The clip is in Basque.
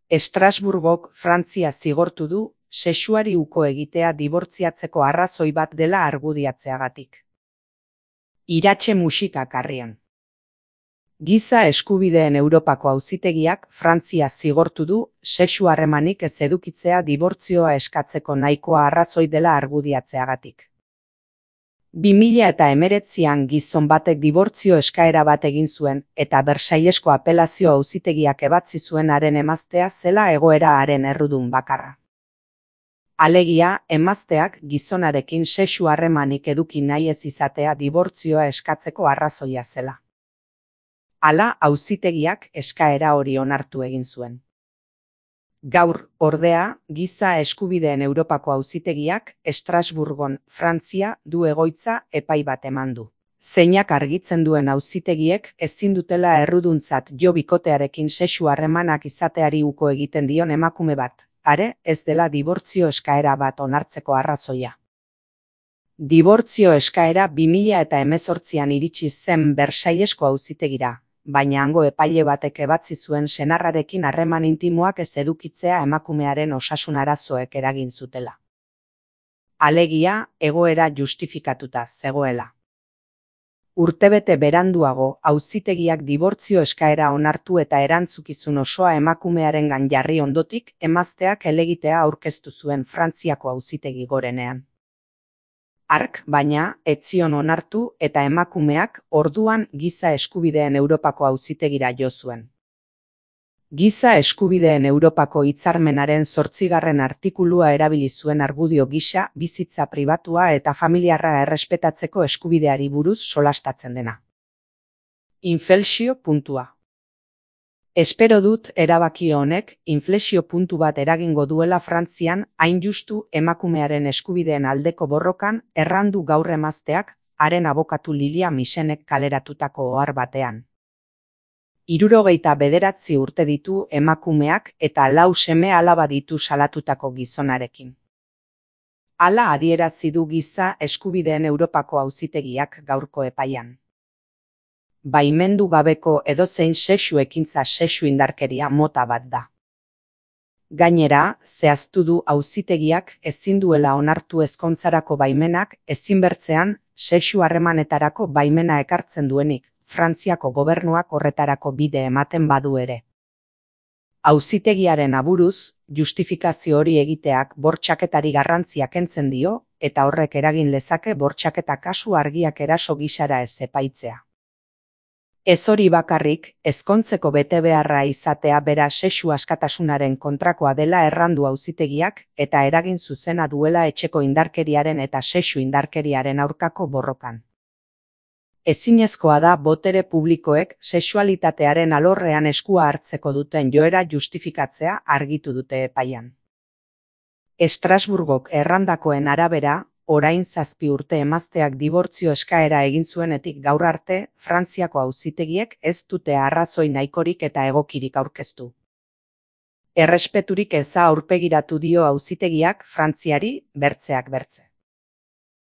Estrasburgok Frantzia zigortu du sexuari uko egitea dibortziatzeko arrazoi bat dela argudiatzeagatik. Iratxe musika karrian. Giza eskubideen Europako Auzitegiak Frantzia zigortu du sexu harremanik ez edukitzea dibortzioa eskatzeko nahikoa arrazoi dela argudiatzeagatik. 2019an gizon batek dibortzio eskaera bat egin zuen eta Bersailesko apelazio auzitegiak ebatzi zuen haren emaztea zela egoera haren errudun bakarra. Alegia, emazteak gizonarekin sexu harremanik eduki nahi ez izatea dibortzioa eskatzeko arrazoia zela. Hala, auzitegiak eskaera hori onartu egin zuen. Gaur, ordea, Giza Eskubideen Europako Auzitegiak Estrasburgon, Frantzia, du egoitza epai bat eman du. Zeinak argitzen duen auzitegiek ezin dutela erruduntzat jo bikotearekin sexu harremanak izateari uko egiten dion emakume bat, are ez dela dibortzio eskaera bat onartzeko arrazoia. Dibortzio eskaera 2018an iritsi zen Bersailesko auzitegira, baina hango epaile batek ebatzi zuen senarrarekin harreman intimoak ez edukitzea emakumearen osasun arazoek eragin zutela. Alegia, egoera justifikatuta zegoela. Urtebete beranduago, auzitegiak dibortzio eskaera onartu eta erantzukizun osoa emakumearengan jarri ondotik, emazteak helegitea aurkeztu zuen Frantziako auzitegi gorenean. Hark, baina, ez zion onartu eta emakumeak orduan Giza Eskubideen Europako Auzitegira jo zuen. Giza Eskubideen Europako hitzarmenaren 8. artikulua erabili zuen argudio gisa bizitza pribatua eta familiarra errespetatzeko eskubideari buruz solastatzen dena. Inflexio puntua. Espero dut erabaki honek inflexio puntu bat eragingo duela Frantzian hain justu emakumearen eskubideen aldeko borrokan errandu gaur emazteak haren abokatu Lilia Michenek kaleratutako ohar batean. 79 urte ditu emakumeak eta 4 seme-alaba ditu salatutako gizonarekin. Hala adierazi du Giza Eskubideen Europako Auzitegiak gaurko epaian. Baimendu gabeko edozein sexu ekintza sexu indarkeria mota bat da. Gainera, zehaztu du auzitegiak ezin duela onartu ezkontzarako baimenak ezinbertzean sexu harremanetarako baimena ekartzen duenik, Frantziako gobernuak horretarako bide ematen badu ere. Auzitegiaren aburuz, justifikazio hori egiteak bortxaketari garrantzia kentzen dio eta horrek eragin lezake bortxaketa kasu argiak eraso gisara ez epaitzea. Ez hori bakarrik, ezkontzeko betebeharra izatea bera sexu askatasunaren kontrakoa dela errandu auzitegiak eta eragin zuzena duela etxeko indarkeriaren eta sexu indarkeriaren aurkako borrokan. Ezinezkoa da botere publikoek sexualitatearen alorrean eskua hartzeko duten joera justifikatzea argitu dute epaian. Estrasburgok errandakoen arabera, orain 7 urte emazteak dibortzio eskaera egin zuenetik gaur arte, Frantziako auzitegiek ez dute arrazoi nahikorik eta egokirik aurkeztu. Errespeturik eza aurpegiratu dio auzitegiak Frantziari bertzeak bertze.